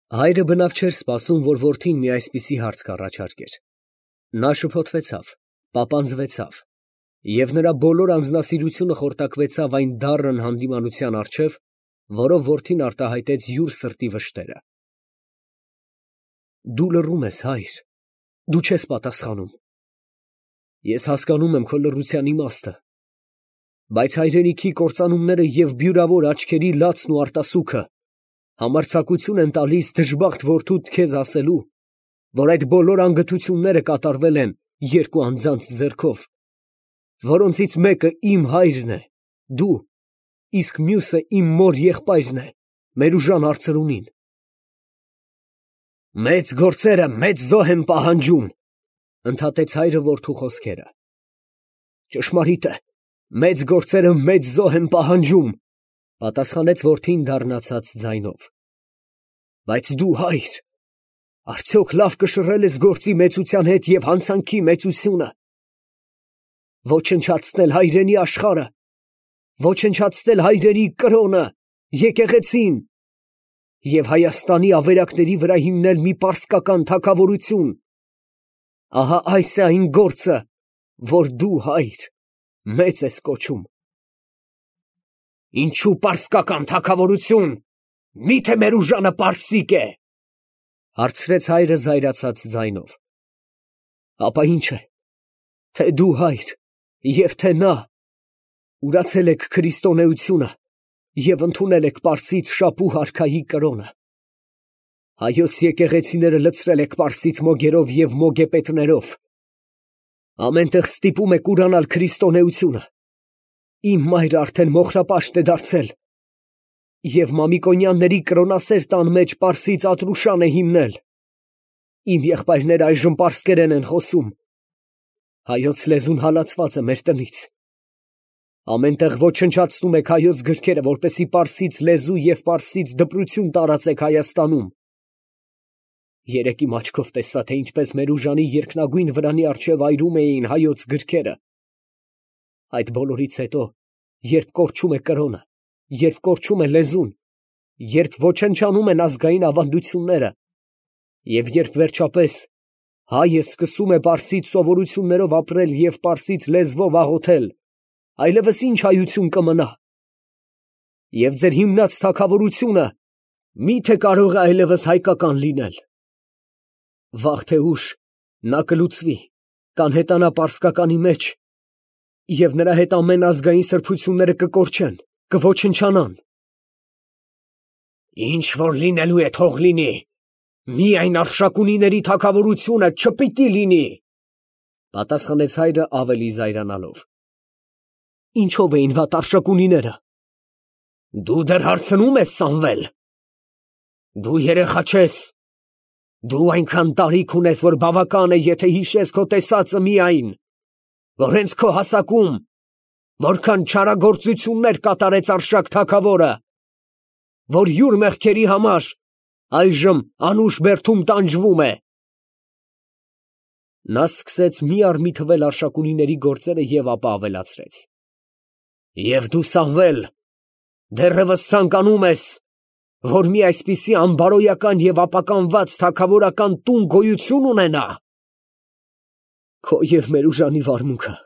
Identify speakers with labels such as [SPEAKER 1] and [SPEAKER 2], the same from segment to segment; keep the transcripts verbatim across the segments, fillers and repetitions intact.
[SPEAKER 1] Հայրը բնավ չէր սպասում, որ որդին մի այսպիսի հարց կառաջարկեր. նա շփոթվեցավ, պապանձվեցավ, և նրա բոլոր անձնասիրությունը խորտակվեցավ այն դառն հանդիմանության առջև, որով որդին արտահայտեց յուր սրտի վշտերը։ Դու լռում ես, հայր, դու չես պատասխանում։ Ես հասկանում եմ քո լռության իմաստը, բայց հայրենիքի կործանումները և բյուրավոր աչքերի լացն ու արտասուքը համարձակություն են տալիս դժբախտ որդուդ քեզ ասելու, որ այդ բոլոր անգթությունները կատարվել են երկու անձանց ձեռքով, որոնցից մեկը իմ հայրն է, դու, իսկ մյուսը իմ մոր եղբայրն է, Մերուժան արծրունին։ Մեծ գործերը մեծ զոհ են պահանջում, ընդհատեց հայրը որդու խոսքերը։ Ճշմարիտ է, մեծ գործերը մեծ զոհ են պահանջում, պատասխանեց որդին դառնացած ձայնով։ Բայց դու, հայր, արդյոք լավ կշռել ես գործի մեծության հետ և հանցանքի մեծությունը, ոչնչացնել հայրենի աշխարհը, ոչնչացնել հայրենի կրոնը, եկեղեցին և Հայաստանի ավերակների վրա հիմնել մի պարսկական թագավորություն։ Ահա այս է այն գործը, որ դու, հայր, մեծ ես կոչում։ Ինչու պարսկական թագավորություն, միթե Մերուժանը պարսիկ է, հարցրեց հայրը զայրացած ձայնով։ Ապա ինչ է, թե դու, հայր, և թե նա ուրացել եք քրիստոնեությունը և ընդունել եք պարսից շապու հարքայի կրոնը։ Հայոց եկեղեցիները լցրել եք պարսից մոգերով և մոգեպետներով։ Ամեն տեղ ստիպում եք ուրանալ քրիստոնեությունը։ Իմ մայրը արդեն մոխրապաշտ է դարձել և Մամիկոնյանների կրոնասեր տան մեջ պարսից Ատրուշան է հիմնել։ Իմ եղբայրները այժմ պարսկերեն են խոսում։ Հայոց լեզուն հալածված է մեր տնից։ Ամեն տեղ ոչնչացնում եք հայոց գրքերը, որպեսզի պարսից լեզու և պարսից դպրություն տարածեք Հայաստանում։ Երեկ իմ աչքով տեսա, թե ինչպես Մերուժանի երկնագույն վրանի առջև այրում էին հայոց գրքերը։ Այդ բոլորից հետո, երբ կորչում է կրոնը, երբ կորչում է լեզուն, երբ ոչնչանում են ազգային ավանդությունները, և երբ վերջապես հայը սկսում է պարսից սովորություններով ապրել և պարսից լեզվով աղոթել, այլևս ինչ հայություն կմնա։ Եվ ձեր հիմնած թագավորությունը մի՞թե կարող է այլևս հայկական լինել։ Վաղ թե ուշ նա կլուծվի, կանհետանա պարսկականի մեջ, և նրա հետ ամեն ազգային սրբությունները կկորչեն, կոչնչանան։ Ինչ որ լինելու է, թող լինի, միայն Արշակունիների թագավորությունը չպիտի լինի, պատասխանեց հայրը ավելի զայրանալով։ Ինչով էին վատ Արշակունիները։ Դու դեռ հարցնում ես, Սամվել։ Դու երեխա չես։ Դու այնքան տարիք ունես, որ բավական է, եթե հիշես քո տեսածը միայն, որ հենց քո հասակում որքան չարագործություններ կատարեց Արշակ թագավորը, որ յուր մեղքերի համար այժմ անուշ բերդում տանջվում է։ Նա սկսեց մի առ մի թվել Արշակունիների գործերը և ապա ավելացրեց. Եվ դու, Սամվել, դեռևս ցանկանում ես, որ մի այսպիսի անբարոյական և ապականված թագավորական տուն գոյություն ունենա։ Քո և Մերուժանի վարմունքը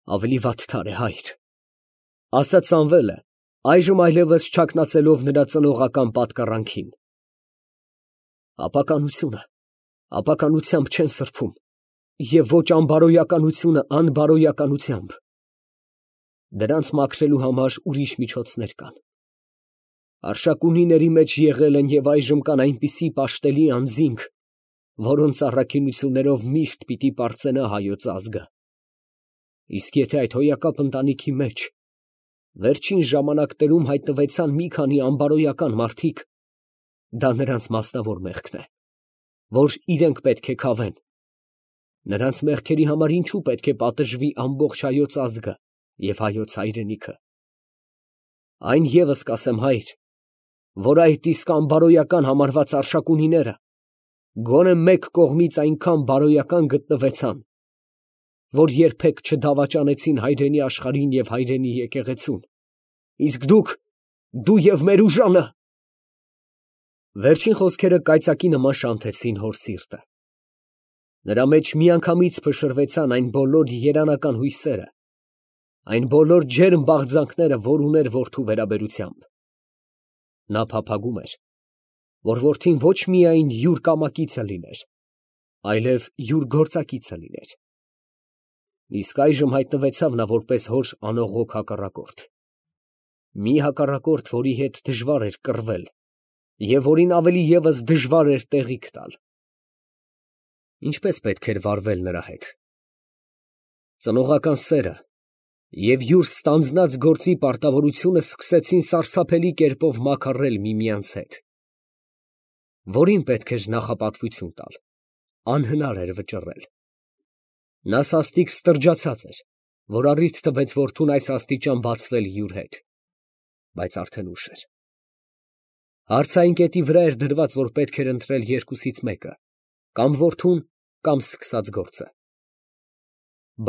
[SPEAKER 1] ավելի վատթար է, հայր, ասաց Սամվելը, այժմ այլևս չակնացելով նրա ծնողական պատկառանքին։ Ապականությունը ապականությամբ չեն սրբում, և ոչ անբարոյականությունը անբարոյականությամբ։ Դրանց մաքրելու համար ուրիշ միջոցներ կան։ Արշակունիների մեջ եղել են և այժմ կան այնպիսի պաշտելի անձինք, որոնց առաքինություններով միշտ պիտի պարծենա հայոց ազգը։ Իսկ եթե այդ հոյակապ ընտանիքի մեջ վերջին ժամանակներում հայտնվեցան մի քանի անբարոյական մարդիկ, դա նրանց մասնավոր մեղքն է, որ իրենք պետք է քավեն։ Նրանց մեղքերի համար ինչու պետք է պատժվի ամբողջ հայոց ազգը և հայոց հայրենիքը։ Այն ևս կասեմ, հայր, որ այդ իսկ անբարոյական համարված Արշակունիները գոնե մեկ կողմից այնքան բարոյական գտնվեցան, որ երբեք չդավաճանեցին հայրենի աշխարհին և հայրենի եկեղեցուն, իսկ դուք, դու և Մերուժանը Վերջին խոսքերը կայծակի նման շանթեցին հոր սիրտը։ Նրա մեջ միանգամից փշրվեցան այն բոլոր երանական հույսերը, այն բոլոր ջերմ բաղձանքները, որ ուներ որդու վերաբերությամբ։ Նա փափագում էր, որ որդին ոչ միայն յուր կամակիցը լիներ, այլև յուր գործակիցը լիներ։ Իսկ այժմ հայտնվեցավ նա որպես հոր անողոք հակառակորդ։ Մի հակառակորդ, որի հետ դժվար էր կռվել և որին ավելի ևս դժվար էր տեղիք տալ։ Ինչպես պետք էր վարվել նրա հետ։ Ծնողական սերը և յուր ստանձնած գործի պարտավորությունը սկսեցին սարսափելի կերպով մաքարել միմյանց հետ։ Որին պետք էր նախապատվություն տալ, անհնար էր վճռել։ Նա սաստիկ ստրջացած էր, որ առիթ տվեց որդուն այս աստիճան բացվել յուր հետ, բայց արդեն ուշ էր։ Հարցային կետի վրա էր դրված, որ պետք էր ընտրել երկուսից մեկը, կամ որդուն, կամ սկսած գործը։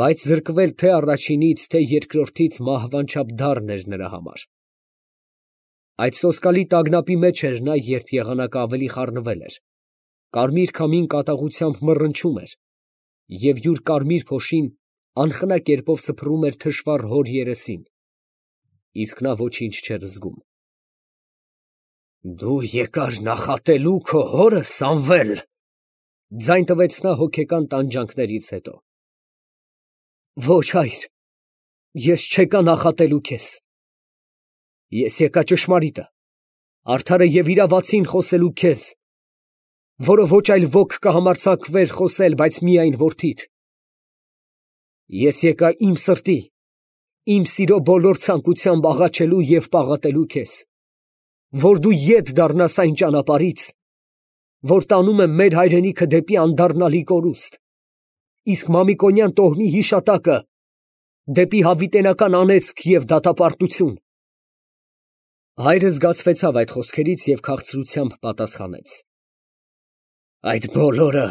[SPEAKER 1] Բայց զրկվել թե առաջինից, թե երկրորդից մահվան չափ դառն էր նրա համար։ Այդ սոսկալի տագնապի մեջ էր նա, երբ եղանակը ավելի խառնվել էր, կարմիր քամին կատաղությամբ մռնչում էր, և յուր կարմիր փոշին անխնա կերպով սփռում էր թշվառ հոր երեսին, իսկ նա ոչինչ չէր զգում։ Դու եկար նախատելու քո հորը, Սամվել, ձայն տվեց նա հոգեկան տանջանքներից հետո։ Ոչ, հայր, ես չեկա նախատելու քեզ։ Ես եկա ճշմարիտը, արդարը և իրավացին խոսելու քեզ, որը ոչ այլ ոք կհամարձակվեր խոսել, բայց միայն որդիդ։ Ես եկա իմ սրտի, իմ սիրո բոլոր ցանկությամբ աղաչելու և պաղատելու քեզ, որ դու ետ դառնաս այն ճանապարհից, որ տանում է մեր հայրենիքը դեպի անդառնալի կորուստ, իսկ Մամիկոնյան տոհմի հիշատակը դեպի հավիտենական անեծք և դատապարտություն։ Հայրը զգացվեցավ այդ խոսքերից և քաղցրությամբ պատասխանեց. Այդ բոլորը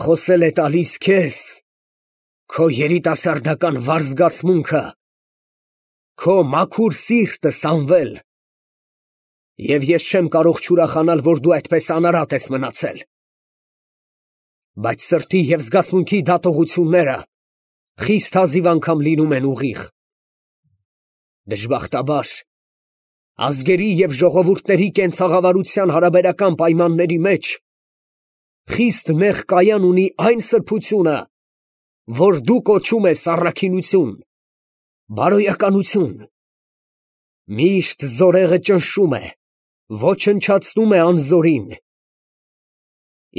[SPEAKER 1] խոսել է տալիս քեզ քո երիտասարդական վառ զգացմունքը, քո մաքուր սիրտը, Սամվել, և ես չեմ կարող չուրախանալ, որ դու այդպես անարատ ես մնացել։ Բայց սրտի և զգացմունքի դատողությունները խիստ հազիվ անգամ լինում են ուղիղ։ Դժբախտաբար, ազգերի և ժողովուրդների կենցաղավարության հարաբերական պայմանների մեջ խիստ նեղ կայան ունի այն սրբությունը, որ դու կոչում ես առաքինություն, բարոյականություն։ Միշտ զորեղը ճնշում է, ոչնչացնում է անզորին։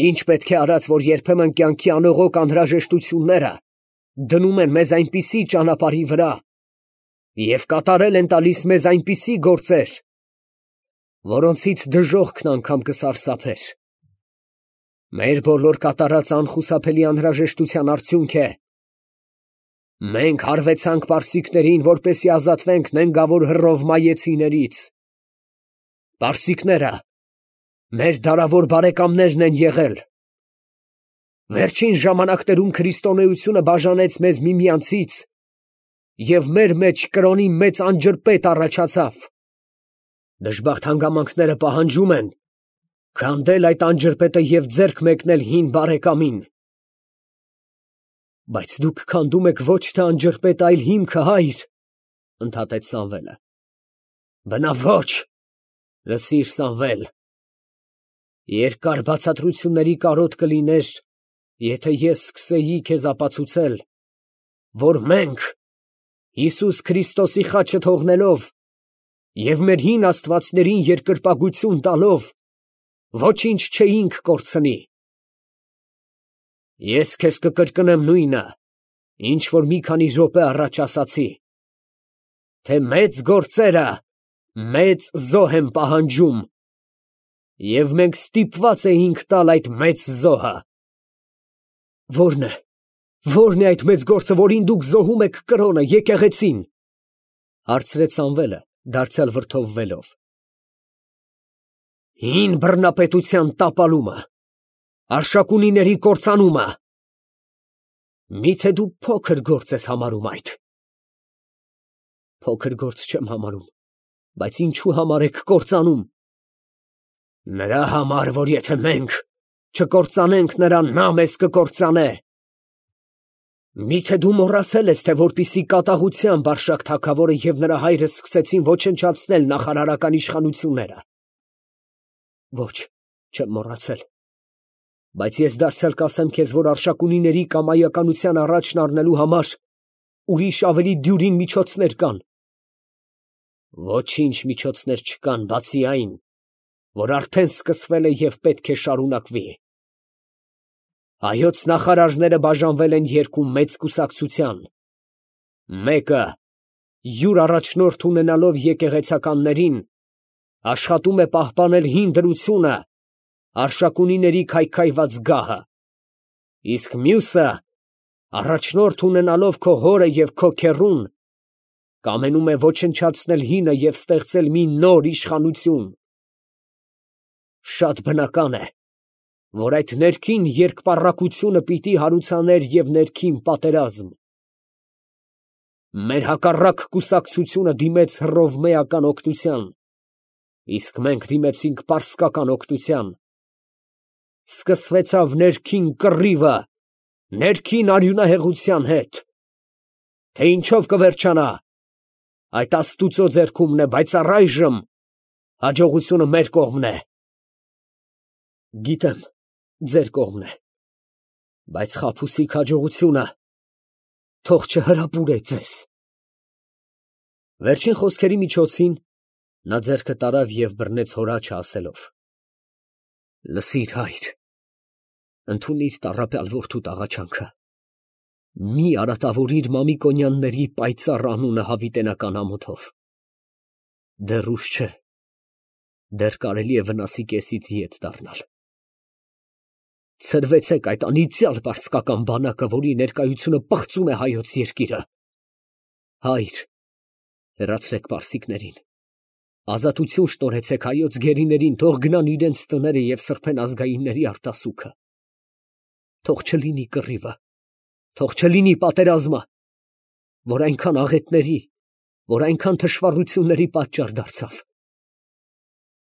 [SPEAKER 1] Ինչ պետք է արած, որ երբեմն կյանքի անողոք անհրաժեշտությունները դնում են մեզ այնպիսի ճանապարհի վրա և կատարել են տալիս մեզ այնպիսի գործեր, որոնցից դժոխքն անգամ կսարսափեր։ Մեր բոլոր կատարած անխուսափելի անհրաժեշտության արդյունք է։ Մենք հարվեցանք պարսիկներին, որպեսզի ազատվենք նենգավոր հռով մայեցիներից։ Պարսիկները մեր դարավոր բարեկամներն են եղել։ Վերջին ժամանակներում քրիստոնեությունը բաժանեց մեզ միմյանցից, և մեր մեջ կրոնի մեծ անջրպետ առաջացավ։ Դժբախտ հանգամանքները պահանջում են քանդել այդ անջրպետը և ձեռք մեկնել հին բարեկամին։ Բայց դուք քանդում եք ոչ թե անջրպետը, այլ հիմքը, հայր, ընդհատեց Սամվելը։ Բնավ ոչ, լսիր, Սամվել, երկար բացատրությունների կարոտ կլիներ, եթե ես սկսեի քեզ ապացուցել, որ մենք Հիսուս Քրիստոսի խաչը թողնելով և մեր հին աստվածներին երկրպագություն տալով ոչինչ չէինք կորցնի։ Ես քեզ կկրկնեմ նույնը, ինչ որ մի քանի րոպե առաջ ասացի, թե մեծ գործերը մեծ զոհ են պահանջում, և մենք ստիպված էինք տալ այդ մեծ զոհը։ Ո՞րն է, ո՞րն է այդ մեծ գործը, որին դուք զոհում եք կրոնը, եկեղեցին, հարցրեց Սամվելը, դարձյալ վրդովվելով։ Հին բռնապետության տապալումը, արշակունիների կործանումը։ Միթե դու փոքր գործ ես համարում այդ։ Փոքր գործ չեմ համարում, բայց ինչու համար եք կործանում։ Նրա համար, որ եթե մենք չկործանենք նրան, նա մեզ կկործանե։ Միթե դու մոռացել ես, թե որպիսի կատաղությամբ Արշակ թագավորը և նրա հայրը սկսեցին ոչնչացնել նախարարական իշխանությունները։ Ոչ, չեմ մոռացել, բայց ես դարձյալ կասեմ քեզ, որ Արշակունիների կամայականության առաջն առնելու համար ուրիշ ավելի դյուրին միջոցներ կան։ Ոչինչ միջոցներ չկան, բացի այն, որ արդեն սկսվել է և պետք է շարունակվի։ Հայոց նախարարները բաժանվել են երկու մեծ կուսակցության. մեկը, յուր առաջնորդ ունենալով եկեղեցականներին, աշխատում է պահպանել հին դրությունը, Արշակունիների քայքայված գահը, իսկ մյուսը, առաջնորդ ունենալով քո հորը և քո քեռուն, կամենում է ոչնչացնել հինը և ստեղծել մի նոր իշխանություն։ Շատ բնական է, որ այդ ներքին երկպառակությունը պիտի հարուցաներ և ներքին պատերազմ։ Մեր հակառակ կուսակցությունը դիմեց հռովմեական օգնության, իսկ մենք դիմեցինք պարսկական օգնության։ Սկսվեցավ ներքին կռիվը, ներքին արյունահեղության հետ։ Թե ինչով կվերջանա, այդ Աստուծո ձեռքումն է, բայց առայժմ հաջողությունը մեր կողմն է։ Գիտեմ, ձեր կողմն է, բայց խաբուսիկ հաջողությունը թող չհրապուրե ձեզ։ Վերջին խոսքերի միջոցին նա ձեռքը տարավ և բռնեց հոր աջը ասելով. Լսիր, հայր, ընդունիր տառապյալ որդուդ աղաչանքը, մի արատավորիր Մամիկոնյանների պայծառ անունը հավիտենական ամոթով։ Դեռ ուշ չէ, դեռ կարելի է վնասի կեսից ետ դառնալ։ Ցրվեցեք այդ անիծյալ պարսկական բանակը, որի ներկայությունը պղծում է հայոց երկիրը։ Հայր, հեռացրեք պարսիկներին, ազատություն շնորհեցեք հայոց գերիներին, թող գնան իրենց տները և սրբեն ազգայինների արտասուքը։ Թող չլինի կռիվը, թող չլինի պատերազմը, որ այնքան աղետների, որ այնքան թշվառությունների պատճառ դարձավ։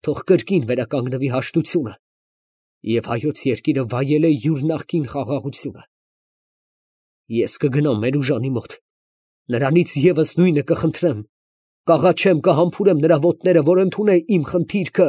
[SPEAKER 1] Թող կրկին վերականգնվի հաշտությունը, և հայոց երկիրը վայելե յուր նախկին խաղաղությունը։ Ես կգնամ Մերուժանի մոտ, նրանից ևս նույնը կխնդրեմ, կաղաչեմ, կհամբուրեմ նրա ոտները, որ ընդունե իմ խնդիրքը